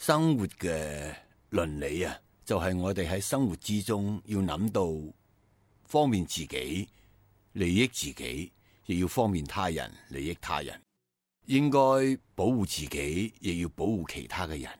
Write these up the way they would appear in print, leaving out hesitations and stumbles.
生活嘅倫理啊，就係我哋喺生活之中要諗到方便自己、利益自己，亦要方便他人、利益他人。應該保護自己，亦要保護其他嘅人。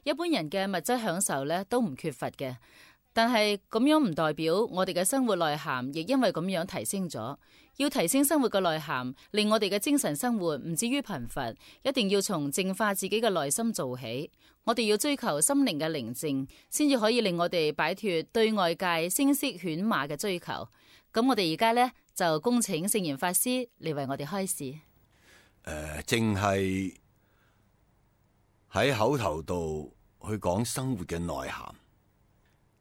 一般人嘅物質享受咧都唔缺乏嘅，但係咁樣唔代表我哋嘅生活內涵亦因為咁樣提升咗。要提升生活嘅內涵，令我哋嘅精神生活唔至於貧乏，一定要從淨化自己嘅內心做起。我哋要追求心靈嘅寧靜，先至可以令我哋擺脫對外界聲色犬馬嘅追求。咁我哋而家呢，就恭請聖嚴法師嚟為我哋開示。淨係喺口頭度去講生活嘅內涵，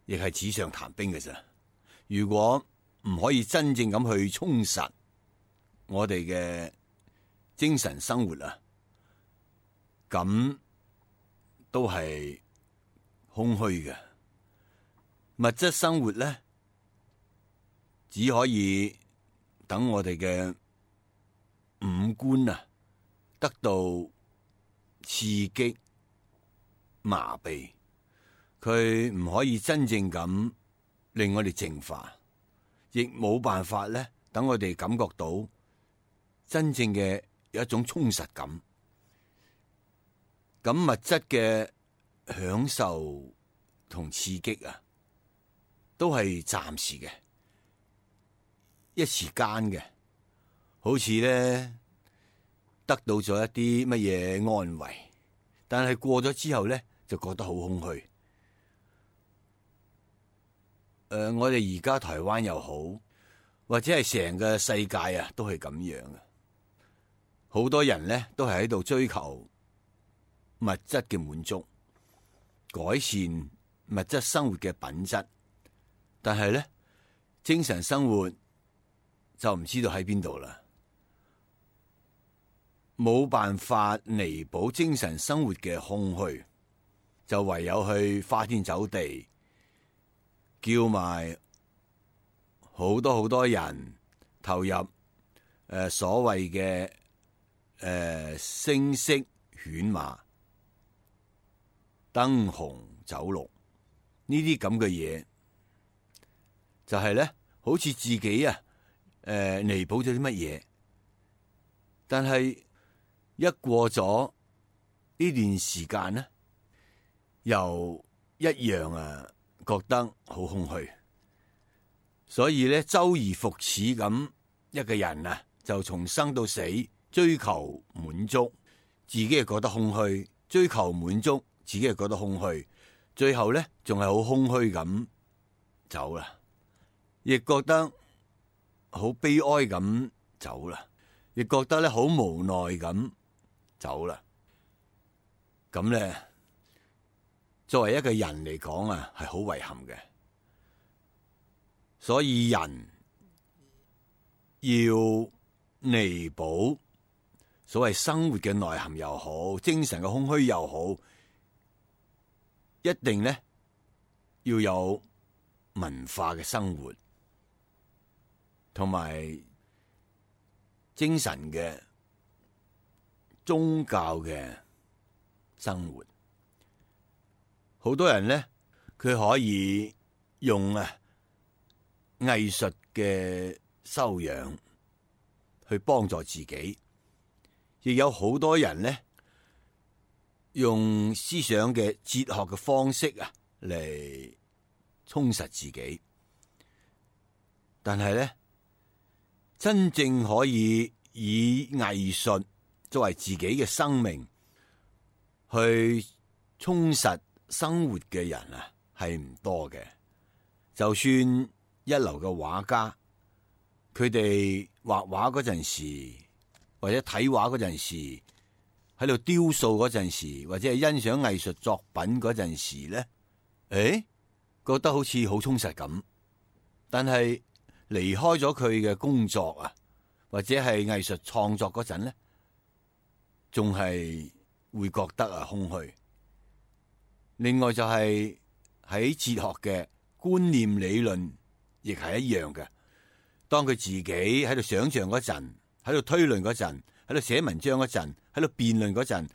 亦係紙上談兵嘅啫。如果唔可以真正咁去充實我哋嘅精神生活啊，咁都係空虛嘅。物質生活咧，只可以等我哋嘅五官啊得到刺激麻痹，佢唔可以真正咁令我哋淨化，亦冇辦法咧等我哋感覺到真正嘅有一種充實感。咁物質嘅享受同刺激啊，都係暫時嘅，一時間嘅，好似咧得到咗一啲乜嘢安慰，但係過咗之後咧就覺得好空虛。我哋而家台灣又好，或者係成個世界啊，都係咁樣嘅。好多人咧都係喺度追求物質嘅滿足，改善物質生活嘅品質，但係咧精神生活就唔知道喺邊度啦，冇辦法彌補精神生活嘅空虛，就唯有去花天酒地，叫埋好多人投入所謂嘅聲色犬馬、燈紅酒綠呢啲咁嘅嘢，就係咧好似自己啊彌補咗啲乜嘢，但係一過咗呢段時間呢，又一樣覺得好空虛，所以咧周而復始咁一個人啊，就從生到死追求滿足，自己又覺得空虛，追求滿足，自己又覺得空虛，最後咧仲係好空虛咁走啦，亦覺得好悲哀咁走啦，亦覺得咧好無奈咁走啦。咁咧作為一個人嚟講啊，係好遺憾嘅。所以人要彌補所謂生活嘅內涵又好，精神嘅空虛又好，一定咧要有文化嘅生活，同埋精神嘅宗教嘅生活。好多人咧，佢可以用藝術嘅修養去幫助自己，亦有好多人咧用思想嘅哲學嘅方式啊嚟充實自己。但係咧，真正可以以藝術作為自己嘅生命去充實生活嘅人啊，係唔多嘅。就算一流嘅畫家，佢哋畫畫嗰陣時，或者睇畫嗰陣時，喺度雕塑嗰陣時，或者係欣賞藝術作品嗰陣時咧，覺得好似好充實咁。但係離開咗佢嘅工作啊，或者係藝術創作嗰陣咧，仲係會覺得啊空虛。另外就係喺哲學嘅觀念理論，亦係一樣嘅。當佢自己喺度想象嗰陣，喺度推論嗰陣，喺度寫文章嗰陣，喺度辯論嗰陣，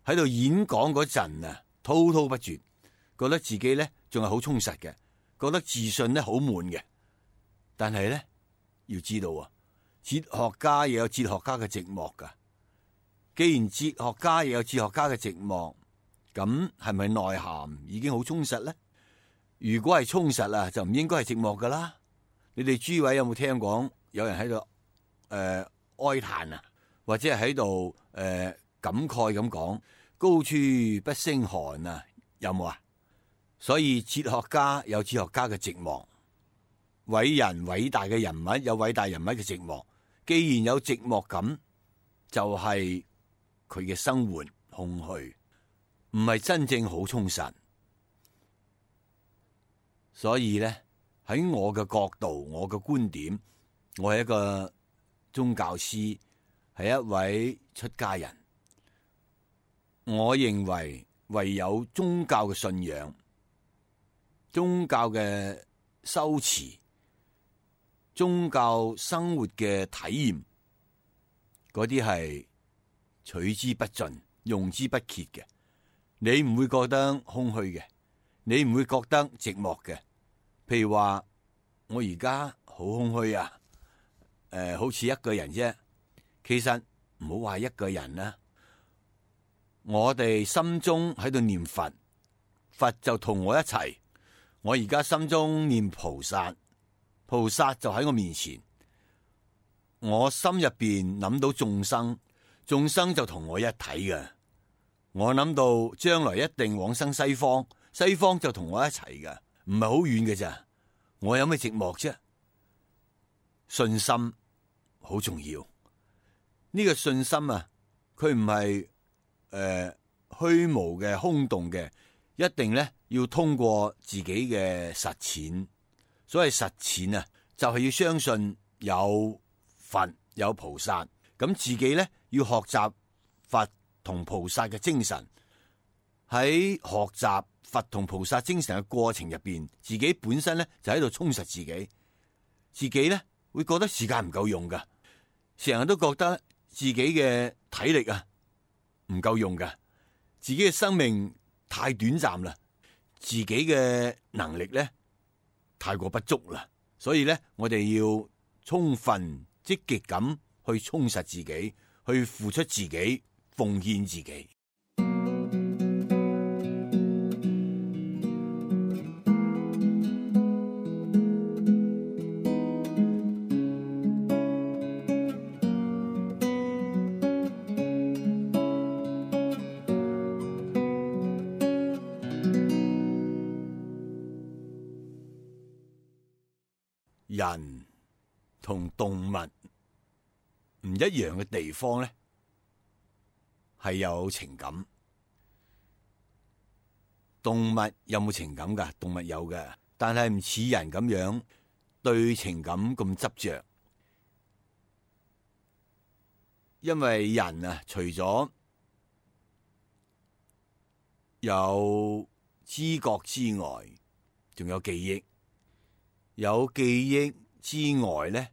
喺度演講嗰陣啊，滔滔不絕，覺得自己咧仲係好充實嘅，覺得自信咧好滿嘅。但係咧要知道啊，哲學家亦有哲學家嘅寂寞噶。既然哲學家亦有哲學家嘅寂寞，咁係咪內涵已經好充實咧？如果係充實啊，就唔應該係寂寞噶啦。你哋諸位有冇聽講有人喺度哀嘆啊，或者係喺度感慨咁講，高處不勝寒啊？有冇啊？所以哲學家有哲學家嘅寂寞，偉人偉大嘅人物有偉大人物嘅寂寞。既然有寂寞感，就係佢嘅生活空虛，唔係真正好充實。所以咧，喺我嘅角度，我嘅觀點，我係一個宗教師，係一位出家人。我認為唯有宗教嘅信仰、宗教嘅修持、宗教生活嘅體驗，嗰啲係取之不盡、用之不竭嘅。你唔會覺得空虛嘅，你唔會覺得寂寞嘅。譬如話我而家好空虛啊，好似一個人啫。其實唔好話一個人啦，我哋心中喺度念佛，佛就同我一齊。我而家心中念菩薩，菩薩就喺我面前。我心入邊諗到眾生，眾生就同我一體嘅。我諗到將來一定往生西方，西方就同我一齊嘅，唔係好遠嘅咋。我有咩寂寞啫？信心好重要。呢個信心啊，佢唔係虛無嘅、空洞嘅，一定咧要通過自己嘅實踐。所謂實踐啊，就係要相信有佛有菩薩，咁自己咧要學習佛同菩薩嘅精神。喺學習佛同菩薩精神嘅過程入邊，自己本身咧就喺度充實自己。自己咧會覺得時間唔夠用噶，成日都覺得自己嘅體力啊唔夠用噶，自己嘅生命太短暫啦，自己嘅能力咧太過不足啦。所以咧，我哋要充分積極咁去充實自己，去付出自己，奉獻自己。人同動物唔一樣嘅地方咧，係有情感。動物有冇情感噶？動物有嘅，但係唔似人咁樣對情感咁執着。因為人啊，除咗有知覺之外，仲有記憶。有記憶之外咧，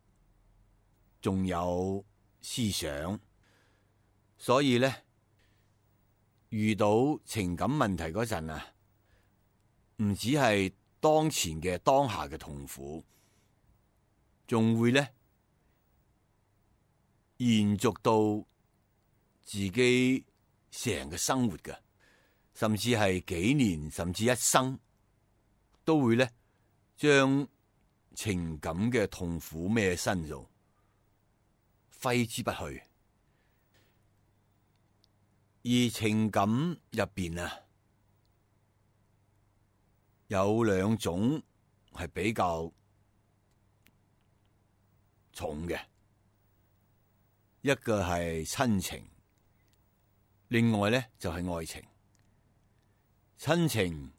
仲有思想。所以咧，遇到情感問題嗰陣啊，唔止係當前嘅當下嘅痛苦，仲會咧延續到自己成個生活嘅，甚至係幾年，甚至一生，都會咧將情感嘅痛苦孭身度，揮之不去。而情感入邊啊，有兩種係比較重嘅，一個係親情，另外咧就係愛情。親情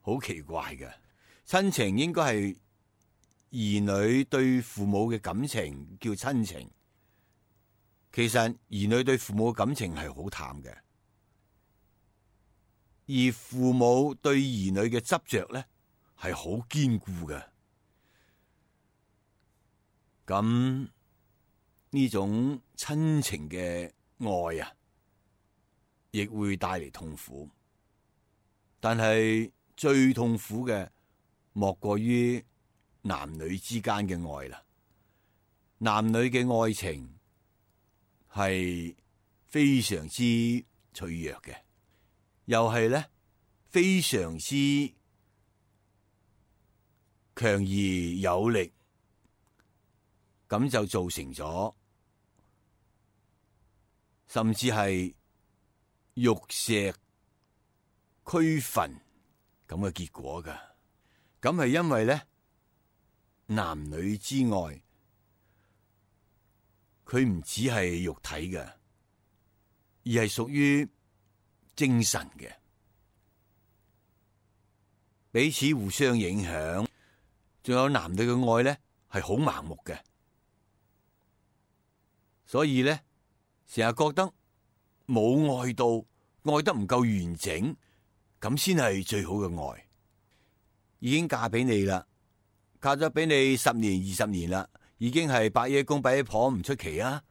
好奇怪嘅。親情應該係兒女對父母嘅感情叫親情，其實兒女對父母嘅感情係好淡嘅，而父母對兒女嘅執着咧係好堅固嘅。咁呢種親情嘅愛啊，亦會帶嚟痛苦。但係最痛苦嘅，莫過於男女之間嘅愛啦。男女嘅愛情係非常之脆弱嘅，又係咧非常之強而有力，咁就造成咗甚至係玉石俱焚咁嘅結果噶。咁係因為咧男女之愛，佢唔只係肉體嘅，而係屬於精神嘅，彼此互相影響。仲有男女嘅愛咧係好盲目嘅，所以咧成日覺得冇愛到，愛得唔夠完整，咁先係最好嘅愛。已經嫁俾你啦，嫁咗俾你10年20年啦，已經係百爺公百爺婆唔出奇啊。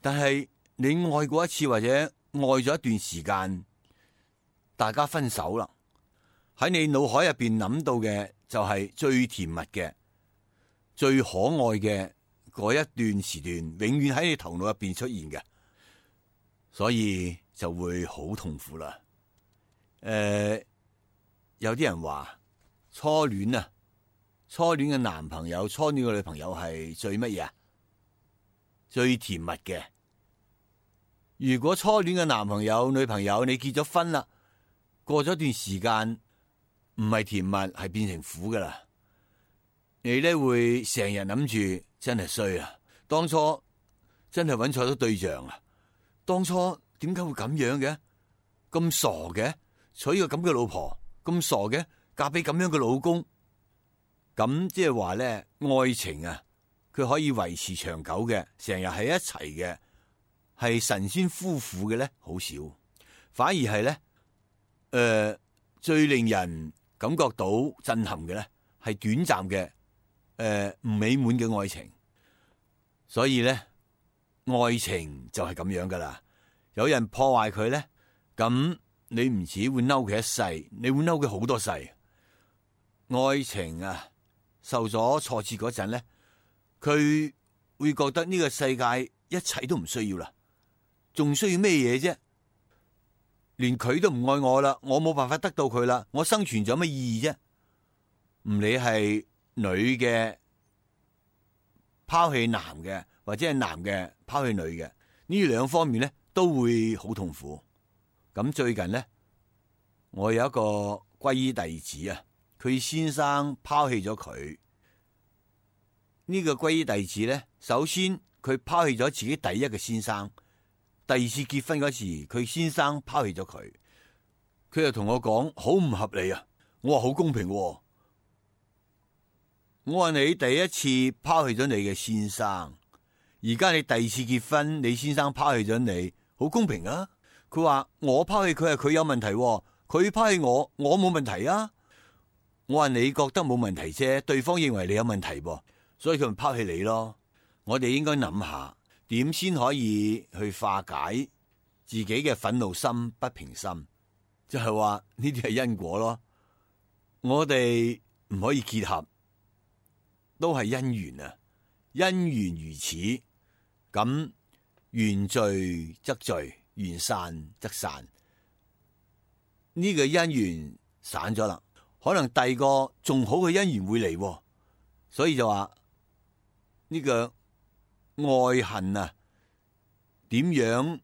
但係你愛過一次或者愛咗一段時間，大家分手啦，喺你腦海入邊諗到嘅就係最甜蜜嘅、最可愛嘅嗰一段時段，永遠喺你頭腦入邊出現嘅，所以就會好痛苦啦。有啲人話初戀啊，初戀嘅男朋友、初戀嘅女朋友係最乜嘢啊？最甜蜜嘅。如果初戀嘅男朋友、女朋友你結咗婚啦，過咗段時間唔係甜蜜，係變成苦噶啦。你咧會成日諗住真係衰啊！當初真係揾錯咗對象啊！當初點解會咁樣嘅？咁傻嘅，娶個咁嘅老婆，咁傻嘅，嫁俾咁樣嘅老公。咁即係話咧，愛情啊，佢可以維持長久嘅，成日喺一齊嘅，係神仙夫婦嘅咧，好少。反而係咧，最令人感覺到震撼嘅咧，係短暫嘅，唔美滿嘅愛情。所以咧，愛情就係咁樣噶啦。有人破壞佢咧，咁你唔止會嬲佢一世，你會嬲佢好多世。愛情啊，受咗挫折嗰陣咧，佢會覺得呢個世界一切都唔需要啦，仲需要咩嘢啫？連佢都唔愛我啦，我冇辦法得到佢啦，我生存咗乜意義啫？唔理係女嘅拋棄男嘅，或者係男嘅拋棄女嘅，呢兩方面咧都會好痛苦。咁最近咧，我有一個皈依弟子啊，佢先生拋棄咗佢。呢個皈依弟子咧，首先佢拋棄咗自己第一個先生，第二次結婚嗰時，佢先生拋棄咗佢。佢就同我講好唔合理啊！我話好公平喎。我話你第一次拋棄咗你嘅先生，而家你第二次結婚，你先生拋棄咗你，好公平啊！佢話我拋棄佢係佢有問題喎，佢拋棄我，我冇問題啊！我話你覺得冇問題啫，對方認為你有問題噃，所以佢咪拋棄你咯。我哋應該諗下點先可以去化解自己嘅憤怒心、不平心，就係話呢啲係因果咯。我哋唔可以結合，都係因緣啊！因緣如此，咁緣聚則聚，緣散則散。呢個因緣散咗啦，可能第二個仲好嘅因緣會嚟，所以就話呢個愛恨啊，點樣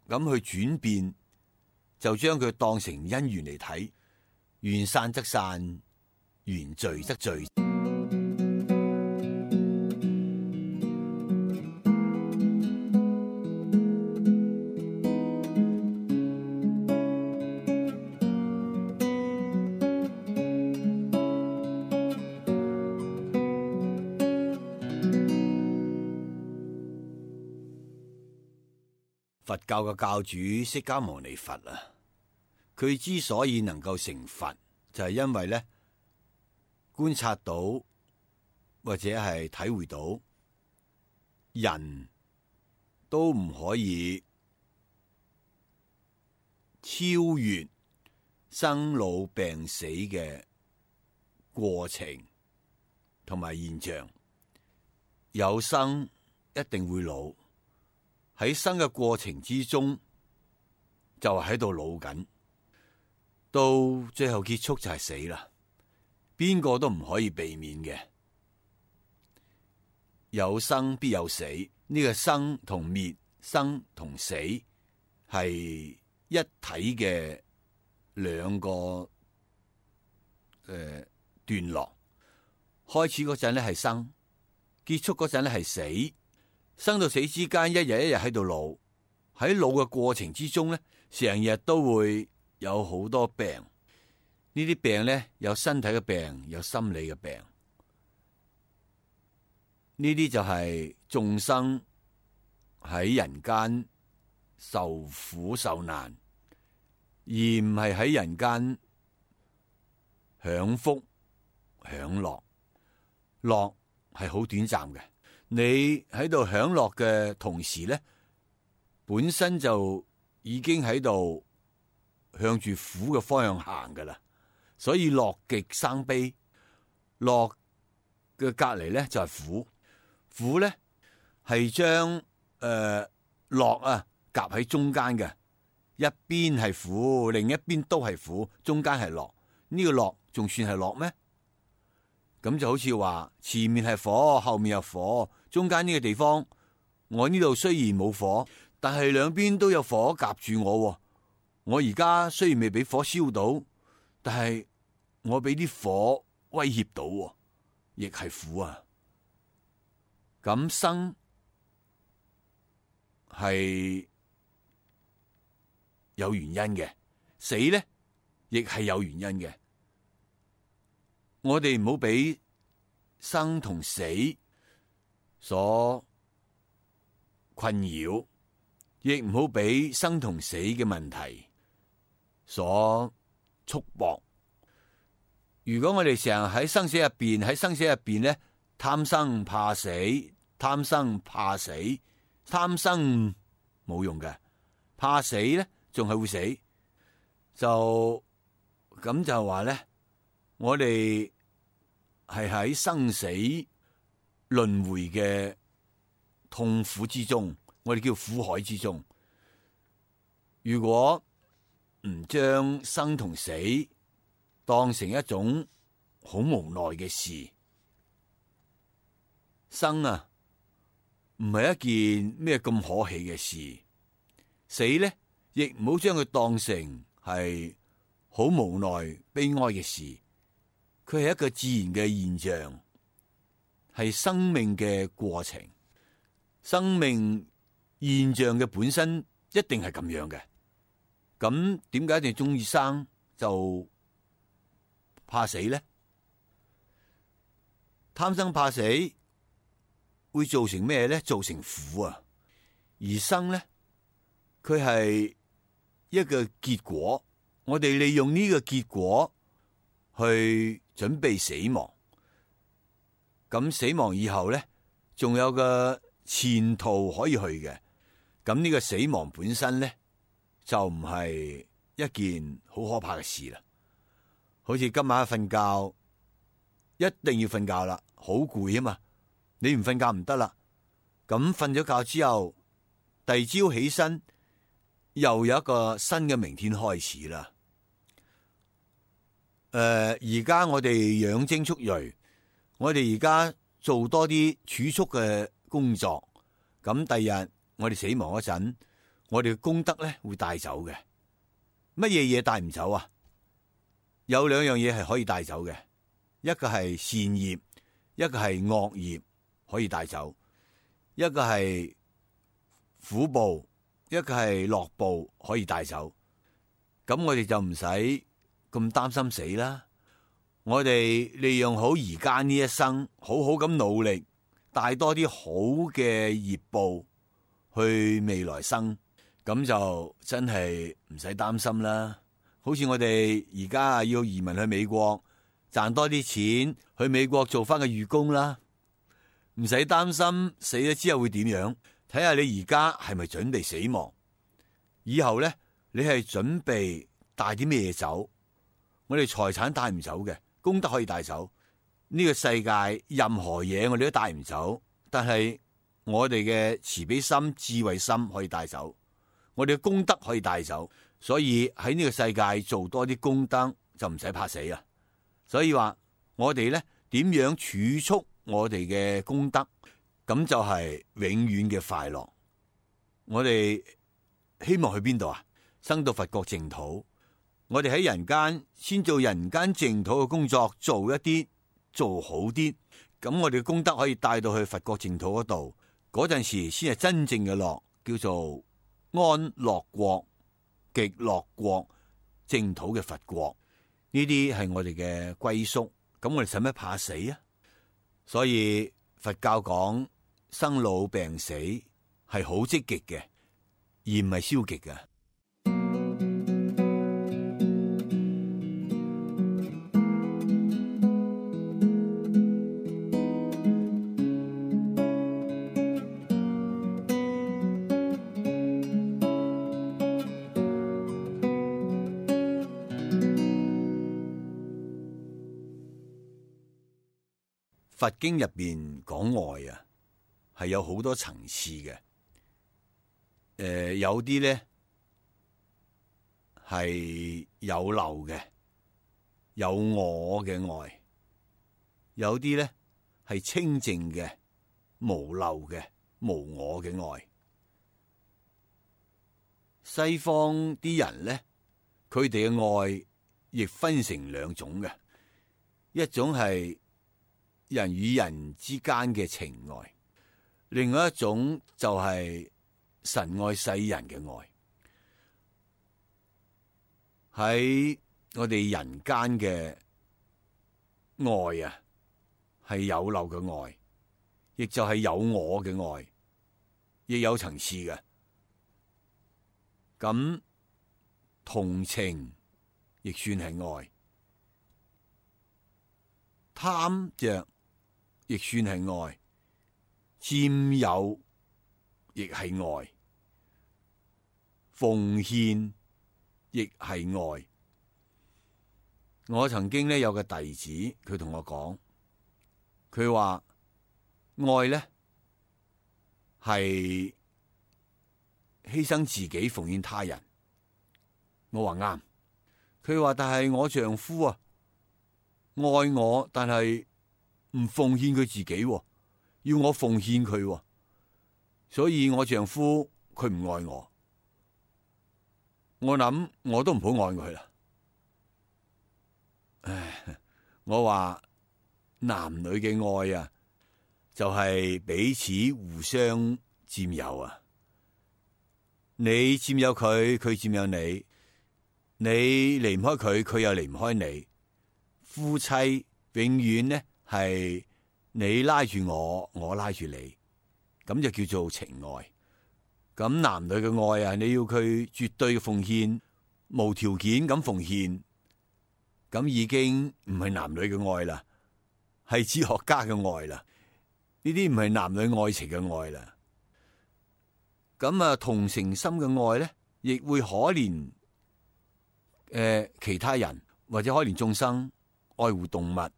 咁去轉變，就將佢當成因緣嚟睇，緣散則散，緣聚則聚。佛教嘅教主釋迦牟尼佛啊，佢之所以能夠成佛，就係因為咧觀察到或者係體會到人都唔可以超越生老病死嘅過程同埋現象。有生一定會老，喺生嘅過程之中就喺度老緊，到最後結束就係死啦。邊個都唔可以避免嘅。有生必有死，呢個生同滅、生同死係一體嘅兩個段落。開始嗰陣咧係生，結束嗰陣咧係死。生到死之間，一日一日喺度老，喺老嘅過程之中咧，成日都會有好多病。呢啲病咧，有身體嘅病，有心理嘅病。呢啲就係眾生喺人間受苦受難，而唔係喺人間享福享樂。樂係好短暫嘅，你喺度享樂嘅同時咧，本身就已經喺度向住苦嘅方向行噶啦。所以樂極生悲，樂嘅隔籬咧就係苦，苦咧係將樂啊夾喺中間嘅，一邊係苦，另一邊都係苦，中間係樂。呢個樂仲算係樂咩？咁就好似話前面係火，後面有火，中間呢個地方，我呢度雖然冇火，但係兩邊都有火夾住我。我而家雖然未俾火燒到，但係我俾啲火威脅到，亦係苦啊。咁生係有原因嘅，死咧亦係有原因嘅。我哋唔好俾生同死所困擾，亦唔好俾生同死嘅問題所束縛。如果我哋成日喺生死入邊咧，貪生怕死，貪生怕死，貪生冇用嘅，怕死咧仲係會死。就咁就話咧，我哋係喺生死輪迴嘅痛苦之中，我哋叫苦海之中。如果唔將生同死當成一種好無奈嘅事，生啊唔係一件咩咁可喜嘅事，死咧亦唔好將佢當成係好無奈悲哀嘅事。佢係一個自然嘅現象，係生命嘅過程。生命現象嘅本身一定係咁樣嘅。咁點解一定中意生就怕死咧？貪生怕死會造成咩咧？造成苦啊！而生咧，佢係一個結果，我哋利用呢個結果去準備死亡。咁死亡以後咧，仲有個前途可以去嘅。咁呢個死亡本身咧，就唔係一件好可怕嘅事啦。好似今晚瞓覺，一定要瞓覺啦，好攰啊嘛，你唔瞓覺唔得啦。咁瞓咗覺之後，第二朝起身，又有一個新嘅明天開始啦。而家我哋養精蓄銳，我哋而家做多啲儲蓄嘅工作。咁第日我哋死亡嗰陣，我哋嘅功德咧會帶走嘅。乜嘢嘢帶唔走啊？有兩樣嘢係可以帶走嘅，一個係善業，一個係惡業可以帶走，一個係苦報，一個係樂報可以帶走。咁我哋就唔使咁擔心死啦。我哋利用好而家呢一生，好好咁努力，帶多啲好嘅業報去未來生。咁就真係唔使擔心啦。好似我哋而家要移民去美國，賺多啲錢去美國做翻個義工啦，唔使擔心死咗之後會點樣。睇下你而家係咪準備死亡，以後呢，你係準備帶啲咩走？我哋財產帶唔走嘅，功德可以帶走。呢個世界任何嘢我哋都帶唔走，但係我哋嘅慈悲心、智慧心可以帶走，我哋嘅功德可以帶走。所以喺呢個世界做多啲功德就唔使怕死啊！所以話我哋呢點樣儲蓄我哋嘅功德，咁就係永遠嘅快樂。我哋希望去邊度啊？生到佛國淨土。我哋喺人間先做人間淨土嘅工作，做一啲做好啲，咁我哋嘅功德可以帶到去佛國淨土嗰度。嗰陣時先係真正嘅樂，叫做安樂國、極樂國、淨土嘅佛國。呢啲係我哋嘅歸宿，咁我哋使乜怕死啊？所以佛教講生老病死係好積極嘅，而唔係消極嘅。佛經入邊講愛啊，係有好多層次嘅。有啲咧係有漏嘅，有我嘅愛；有啲咧係清淨嘅、無漏嘅、無我嘅愛。西方啲人咧，佢哋嘅愛亦分成兩種嘅，一種係人與人之間嘅情愛，另外一種就係神愛世人嘅愛。喺我哋人間嘅愛啊，係有漏嘅愛，亦就係有我嘅愛，亦有層次嘅。咁同情亦算係愛，貪着亦算係愛，佔有亦係愛，奉獻亦係愛。我曾經咧有個弟子，佢同我講，佢話愛咧係犧牲自己奉獻他人。我話啱。佢話但係我丈夫啊愛我，但係唔奉獻佢自己，要我奉獻佢，所以我丈夫佢唔愛我。我諗我都唔好愛佢啦。唉，我話男女嘅愛啊，就係彼此互相佔有啊。你佔有佢，佢佔有你，你離唔開佢，佢又離唔開你。夫妻永遠呢係你拉住我，我拉住你，咁就叫做情愛。咁男女嘅愛啊，你要佢絕對嘅奉獻，無條件咁奉獻，咁已經唔係男女嘅愛啦，係哲學家嘅愛啦。呢啲唔係男女愛情嘅愛啦。咁啊，同情心嘅愛咧，亦會可憐其他人，或者可憐眾生，愛護動物。呢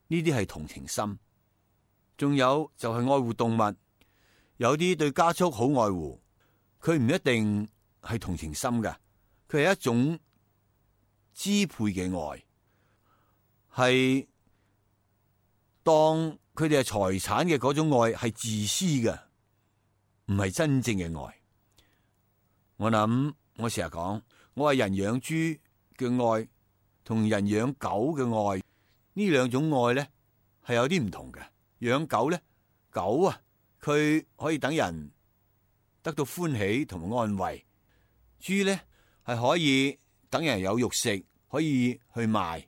啲係同情心。仲有就係愛護動物，有啲對家畜好愛護，佢唔一定係同情心㗎，佢係一種支配嘅愛，係當佢哋係財產嘅嗰種愛，係自私嘅，唔係真正嘅愛。我諗我成日講，我話人養豬嘅愛同人養狗嘅愛，呢兩種愛咧係有啲唔同嘅。養狗咧，狗啊佢可以等人得到歡喜同埋安慰，豬咧係可以等人有肉食，可以去賣。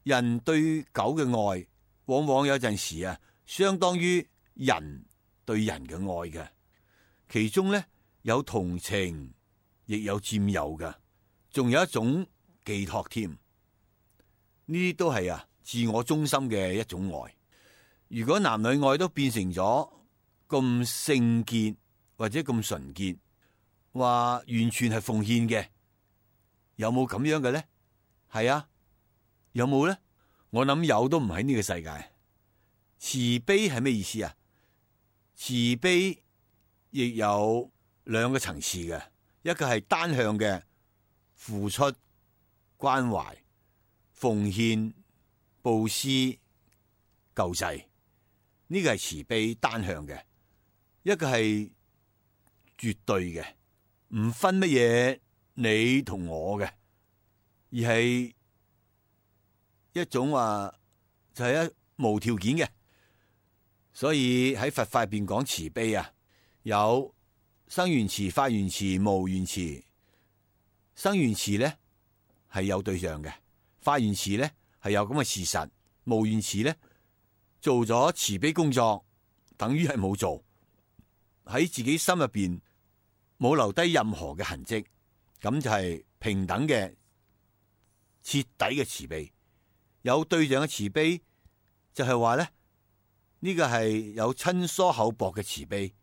人對狗嘅愛，往往有陣時啊，相當於人對人嘅愛嘅。其中咧有同情，亦有佔有嘅，仲有一種寄託添。呢啲都係自我中心嘅一種愛。如果男女愛都變成咗咁聖潔或者咁純潔，話完全係奉獻嘅，有冇咁樣嘅咧？係啊，有冇咧？我諗有都唔喺呢個世界。慈悲係咩意思啊？慈悲亦有兩個層次嘅，一個係單向嘅付出、關懷、奉獻、布施、救濟，呢個係慈悲單向嘅；一個係絕對嘅，唔分乜嘢你同我嘅，而係一種就係無條件嘅。所以喺佛法入邊講慈悲有生緣慈、法緣慈、無緣慈。生緣慈咧係有對象嘅，法緣慈咧係有咁嘅事實，無緣慈咧做咗慈悲工作，等於係冇做，喺自己心入邊冇留低任何嘅痕跡，咁就係平等嘅徹底嘅慈悲。有對象嘅慈悲就係話咧，呢個係有親疏厚薄嘅慈悲，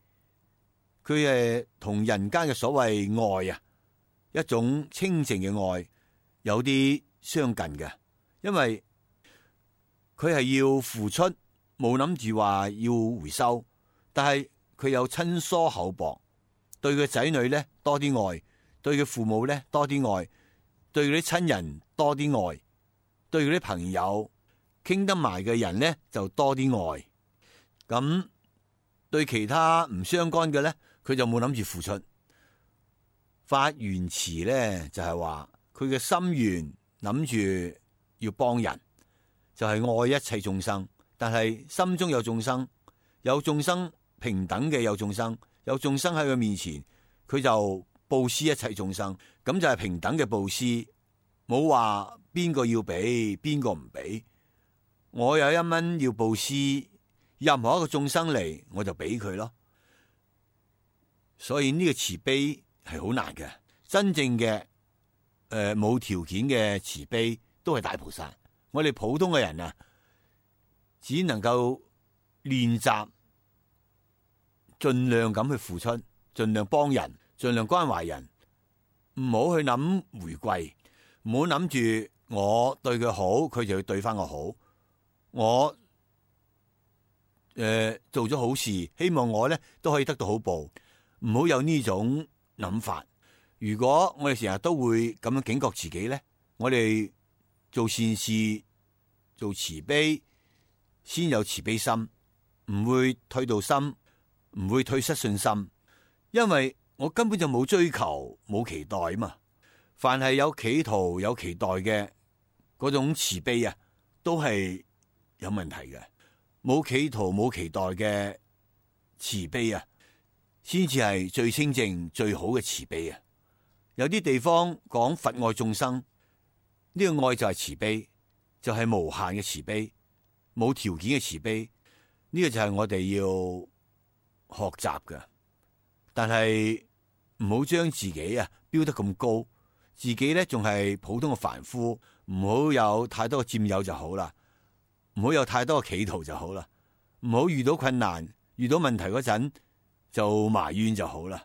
佢係同人間嘅所謂愛一種清淨嘅愛有啲相近嘅，因為佢係要付出，冇諗住話要回收，但係佢有親疏厚薄，對佢仔女咧多啲愛，對佢父母咧多啲愛，對佢啲親人多啲愛，對佢啲朋友傾得埋嘅人咧就多啲愛。咁對其他唔相干嘅咧，佢就冇諗住付出。法緣慈咧就係話佢嘅心願諗住要幫人，就係愛一切眾生，但係心中有眾生，有眾生平等嘅，有眾生喺佢面前，佢就布施一切眾生，咁就係平等嘅布施，冇話邊個要俾邊個唔俾。我有1蚊要布施，任何一個眾生嚟我就俾佢咯。所以呢個慈悲係好難嘅，真正嘅冇條件嘅慈悲都係大菩薩。我哋普通嘅人只能夠練習，盡量咁去付出，盡量幫人，盡量關懷人，唔好去諗回饋，唔好諗住我對佢好，佢就要對翻我好。我做咗好事，希望我咧都可以得到好報，唔好有呢種諗法。如果我哋成日都會咁樣警覺自己咧，我哋做善事、做慈悲，先有慈悲心，唔會退道心，唔會退失信心，因為我根本就冇追求、冇期待嘛。凡係有企圖、有期待嘅嗰種慈悲都係有問題嘅。冇企圖冇期待嘅慈悲先至係最清淨最好嘅慈悲有啲地方講佛愛眾生，呢個愛就係慈悲，就係無限嘅慈悲，冇條件嘅慈悲。呢個就係我哋要學習嘅。但係唔好將自己標得咁高，自己咧仲係普通嘅凡夫，唔好有太多嘅佔有就好啦。唔好有太多嘅企圖就好啦，唔好遇到困難、遇到問題嗰陣就埋怨就好啦。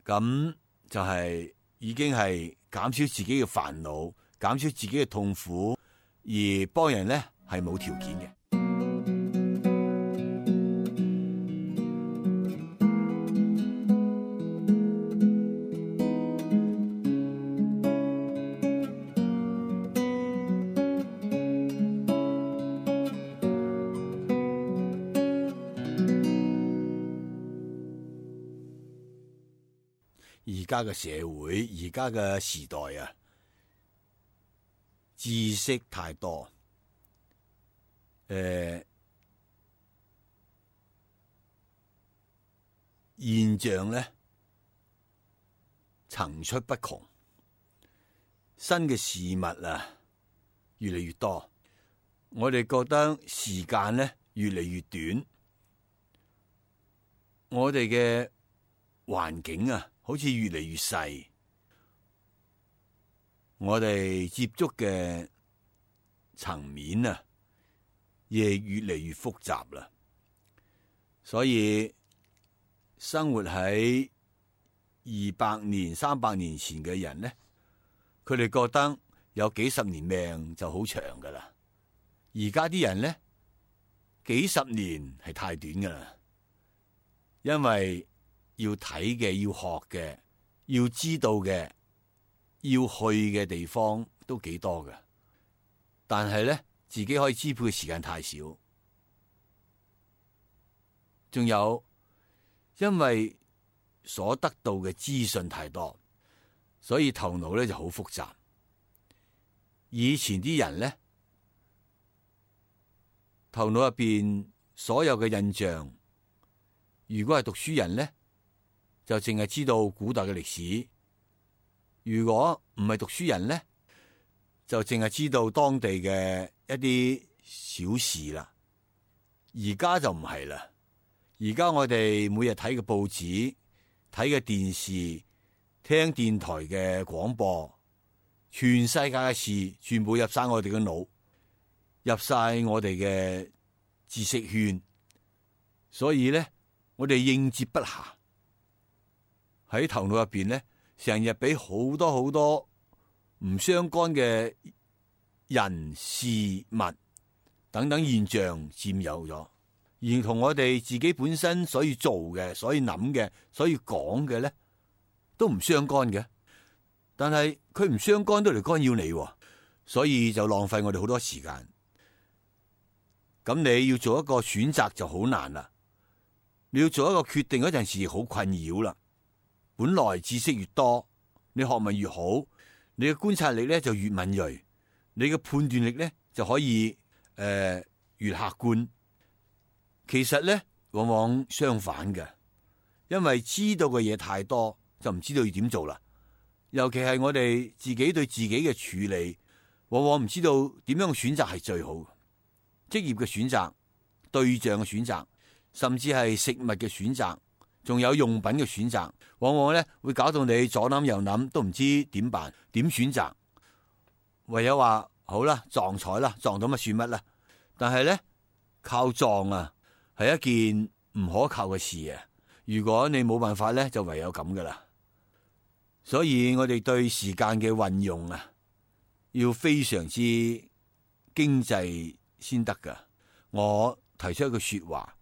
咁就係已經係減少自己嘅煩惱，減少自己嘅痛苦，而幫人咧係冇條件嘅。而家嘅社會，而家嘅時代知識太多，現象咧層出不窮，新嘅事物越嚟越多，我哋覺得時間咧越嚟越短，我哋嘅環境啊，好似越嚟越細，我哋接觸嘅層面啊，亦越嚟越複雜啦。所以生活喺200年、300年前嘅人呢，佢哋覺得有幾十年命就好長噶啦。而家啲人呢，幾十年係太短噶啦，因為要睇嘅、要學嘅、要知道嘅、要去嘅地方都幾多噶，但係呢，自己可以支配嘅時間太少。仲有，因為所得到嘅資訊太多，所以頭腦咧就好複雜。以前啲人咧，頭腦入邊所有嘅印象，如果係讀書人咧，就淨係知道古代嘅歷史；如果唔係讀書人咧，就淨係知道當地嘅一啲小事啦。而家就唔係啦。而家我哋每日睇嘅報紙、睇嘅電視、聽電台嘅廣播，全世界嘅事全部入晒我哋嘅腦，入晒我哋嘅知識圈，所以咧，我哋應接不暇。喺頭腦入邊咧，成日俾好多唔相干嘅人事物等等現象佔有咗。而同我哋自己本身所以做嘅、所以諗嘅、所以講嘅咧，都唔相干嘅。但係佢唔相干都嚟干擾你，所以就浪費我哋好多時間。咁你要做一個選擇就好難啦。你要做一個決定嗰陣時，好困擾啦。本來知識越多，你學問越好，你嘅觀察力咧就越敏銳，你嘅判斷力咧就可以越客觀。其實咧，往往相反嘅，因為知道嘅嘢太多，就唔知道要點做啦。尤其係我哋自己對自己嘅處理，往往唔知道點樣選擇係最好。職業嘅選擇、對象嘅選擇，甚至係食物嘅選擇，仲有用品嘅選擇，往往咧會搞到你左諗右諗，都唔知點辦、點選擇。唯有話好啦，撞彩啦，撞到乜算乜啦。但係咧，靠撞啊，係一件唔可靠嘅事啊！如果你冇辦法咧，就唯有咁噶啦。所以我哋對時間嘅運用啊，要非常之經濟先得噶。我提出一句說話，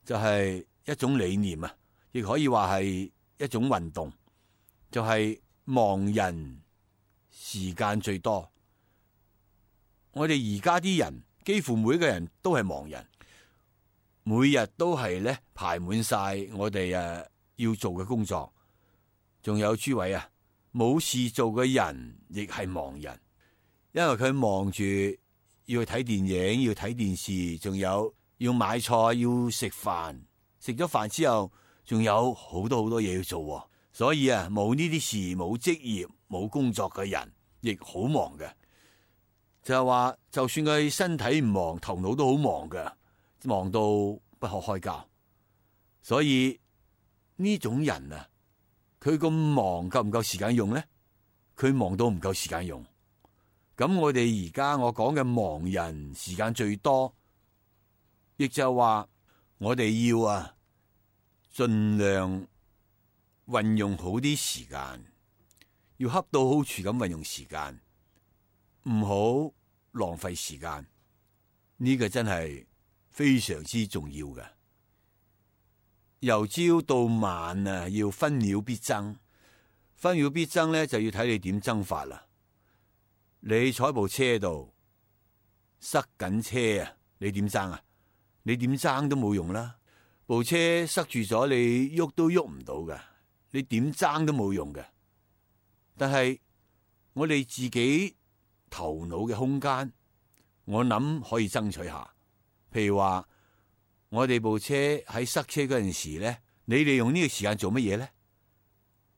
就係一種理念啊，亦可以話係一種運動，就係忙人時間最多。我哋而家啲人幾乎每個人都係忙人。每日都係咧排滿晒我哋要做嘅工作，仲有諸位啊，冇事做嘅人亦係忙人，因為佢忙住要去睇電影、要睇電視，仲有要買菜、要食飯，食咗飯之後仲有好多嘢要做，所以啊，冇呢啲事、冇職業、冇工作嘅人亦好忙嘅。就係話，就算佢身體唔忙，頭腦都好忙嘅。忙到不可開交，所以呢種人啊，佢咁忙夠唔夠時間用咧？佢忙到唔夠時間用。咁我哋而家我講嘅忙人時間最多，亦就係話我哋要盡量運用好啲時間，要恰到好處咁運用時間，唔好浪費時間。呢個真係非常之重要嘅，由朝到晚啊，要分秒必爭。分秒必爭咧，就要睇你點爭法啦。你坐喺部車度塞緊車啊，你點爭啊？你點爭都冇用啦。部車塞住咗，你喐都喐唔到㗎，你點爭都冇用嘅。但係我哋自己頭腦嘅空間，我諗可以爭取下。譬如話，我哋部車喺塞車嗰陣時咧，你利用呢個時間做乜嘢咧？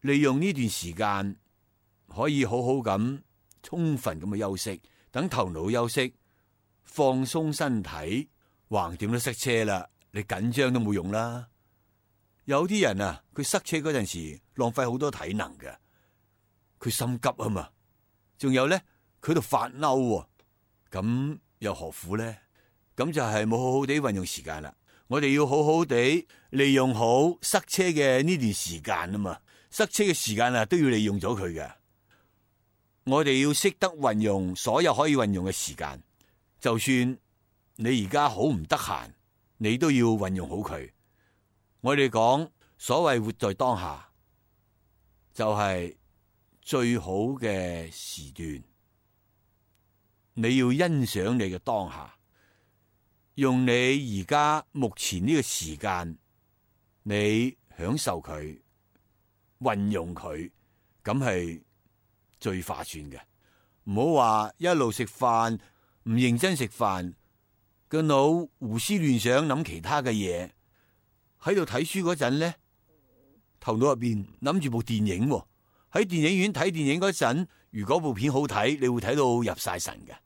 利用呢段時間可以好好咁充分咁去休息，等頭腦休息，放鬆身體。橫掂都塞車啦，你緊張都冇用啦。有啲人啊，佢塞車嗰陣時浪費好多體能嘅，佢心急啊嘛。仲有咧，佢度發嬲，咁又何苦咧？咁就係冇好好地運用時間啦。我哋要好好地利用好塞車嘅呢段時間啊嘛。塞車嘅時間啊，都要利用咗佢嘅。我哋要識得運用所有可以運用嘅時間，就算你而家好唔得閒，你都要運用好佢。我哋講所謂活在當下，就係最好嘅時段。你要欣賞你嘅當下，用你而家目前呢個時間，你享受佢，運用佢，咁係最划算嘅。唔好話一路食飯唔認真食飯，個腦胡思亂想諗其他嘅嘢。喺度睇書嗰陣咧，頭腦入邊諗住部電影喎。喺電影院睇電影嗰陣，如果部片好睇，你會睇到入晒神嘅。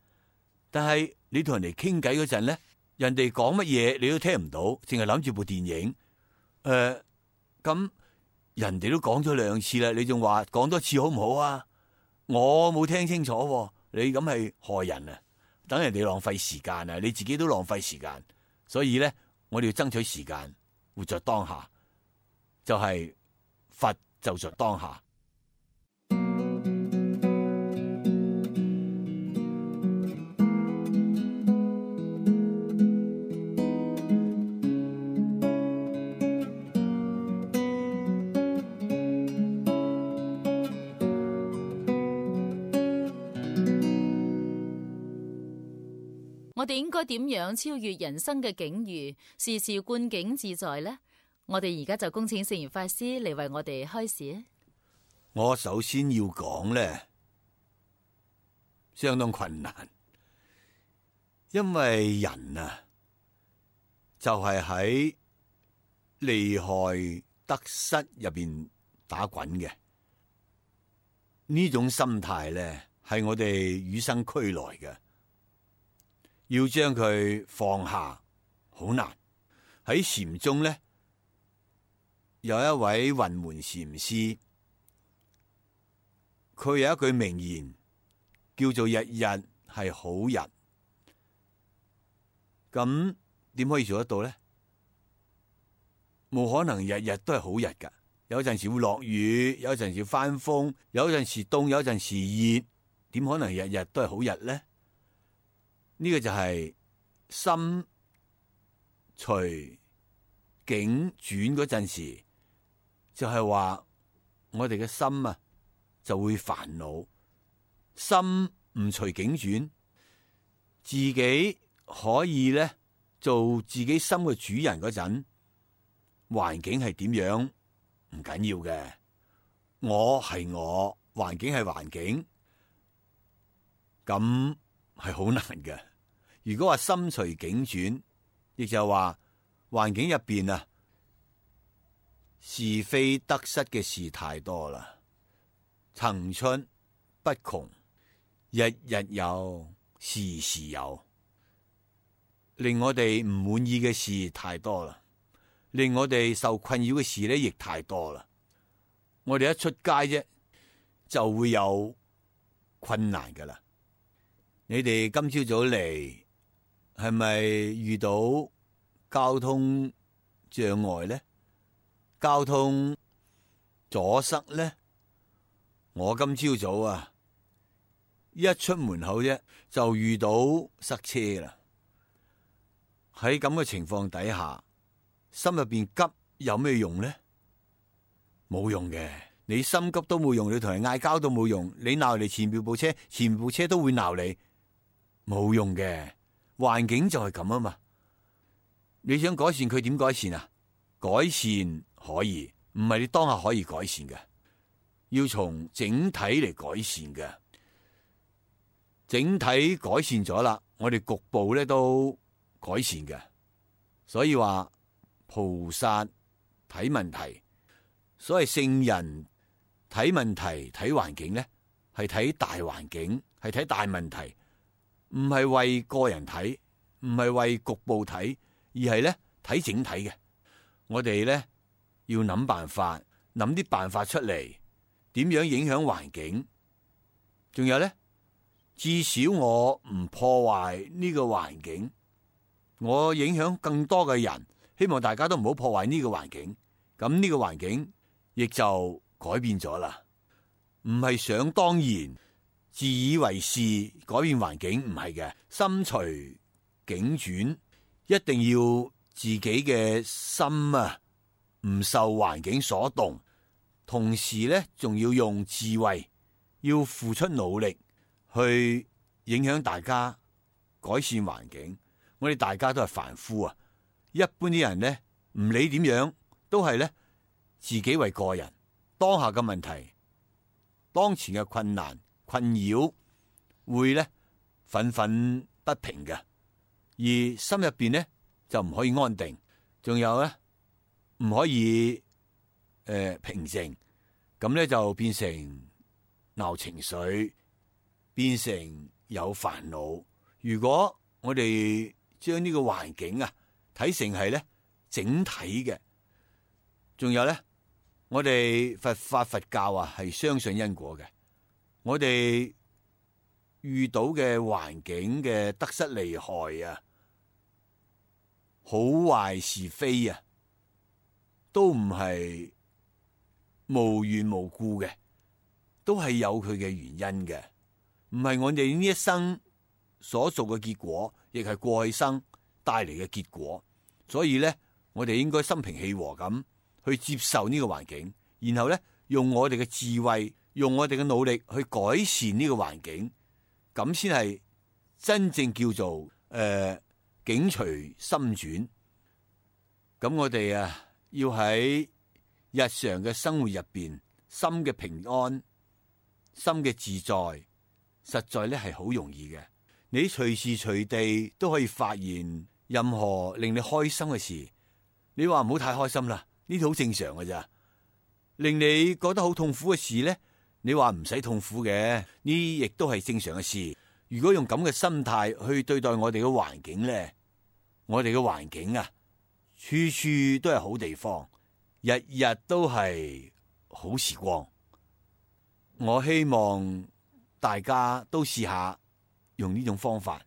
但係你同人哋傾偈嗰陣咧，人哋講乜嘢你都聽唔到，淨係諗住部電影。咁人哋都講咗2次啦，你仲話講多次好唔好啊？我冇聽清楚喎，你咁係害人啊！等人哋浪費時間啊，你自己都浪費時間。所以咧，我哋要爭取時間。活在當下，就係佛就在當下。我哋應該點樣超越人生嘅境遇，時時觀境自在呢？我哋而家就恭請聖嚴法師嚟為我哋開示。我首先要講咧，相當困難，因為人啊，就係喺利害得失入邊打滾嘅。呢種心態咧，係我哋與生俱來嘅。要將佢放下好難。喺禪宗咧，有一位雲門禪師，佢有一句名言叫做日日係好日。咁點可以做得到咧？冇可能日日都係好日噶，有陣時會落雨，有陣時翻風，有陣時凍，有陣時熱，點可能日日都係好日咧？呢個就係心隨境轉嗰陣時，就係話我哋嘅心啊就會煩惱。心唔隨境轉，自己可以咧做自己心嘅主人嗰陣，環境係點樣唔緊要嘅。我係我，環境係環境，咁係好難嘅。如果話心隨境轉，亦就係話環境入邊啊，是非得失嘅事太多啦，層出不窮，日日有，時時有，令我哋唔滿意嘅事太多啦，令我哋受困擾嘅事咧亦太多啦。我哋一出街啫，就會有困難噶啦。你哋今朝早嚟，係咪遇到交通障礙咧？交通阻塞咧？我今朝早啊，一出門口啫，就遇到塞車啦。喺咁嘅情況底下，心入邊急有咩用咧？冇用嘅，你心急都冇用，你同人嗌交都冇用，你鬧你前面部車，前面部車都會鬧你，冇用嘅。環境就係咁啊嘛，你想改善佢點改善啊？改善可以，唔係你當下可以改善嘅，要從整體嚟改善嘅。整體改善咗啦，我哋局部咧都改善嘅。所以話菩薩睇問題，所謂聖人睇問題睇環境咧，係睇大環境，係睇大問題。唔係為個人睇，唔係為局部睇，而係咧睇整體嘅。我哋咧要諗辦法，諗啲辦法出嚟，點樣影響環境？仲有咧，至少我唔破壞呢個環境，我影響更多嘅人，希望大家都唔好破壞呢個環境。咁呢個環境亦就改變咗啦，唔係想當然、自以為是改變環境，唔係嘅，心隨境轉，一定要自己嘅心啊，唔受環境所動，同時咧仲要用智慧，要付出努力去影響大家，改善環境。我哋大家都係凡夫啊，一般啲人咧唔理點樣，都係咧自己為個人，當下嘅問題、當前嘅困難、困擾，會咧憤憤不平嘅，而心入邊咧就唔可以安定，仲有咧唔可以平靜，咁咧就變成鬧情緒，變成有煩惱。如果我哋將呢個環境啊睇成係咧整體嘅，仲有咧，我哋佛法佛教啊係相信因果嘅。我哋遇到嘅環境嘅得失利害啊，好壞是非啊，都唔係無緣無故嘅，都係有佢嘅原因嘅，唔係我哋呢一生所做嘅結果，亦係過去生帶嚟嘅結果。所以咧，我哋應該心平氣和咁去接受呢個環境，然後咧用我哋嘅智慧，用我哋嘅努力去改善呢個環境，咁先係真正叫做境隨心轉。咁我哋啊要喺日常嘅生活入邊，心嘅平安、心嘅自在，實在咧係好容易嘅。你隨時隨地都可以發現任何令你開心嘅事。你話唔好太開心啦，呢啲好正常嘅咋。令你覺得好痛苦嘅事咧，你話唔使痛苦嘅，呢亦都係正常嘅事。如果用咁嘅心態去對待我哋嘅環境咧，我哋嘅環境啊，處處都係好地方，日日都係好時光。我希望大家都試下用呢種方法。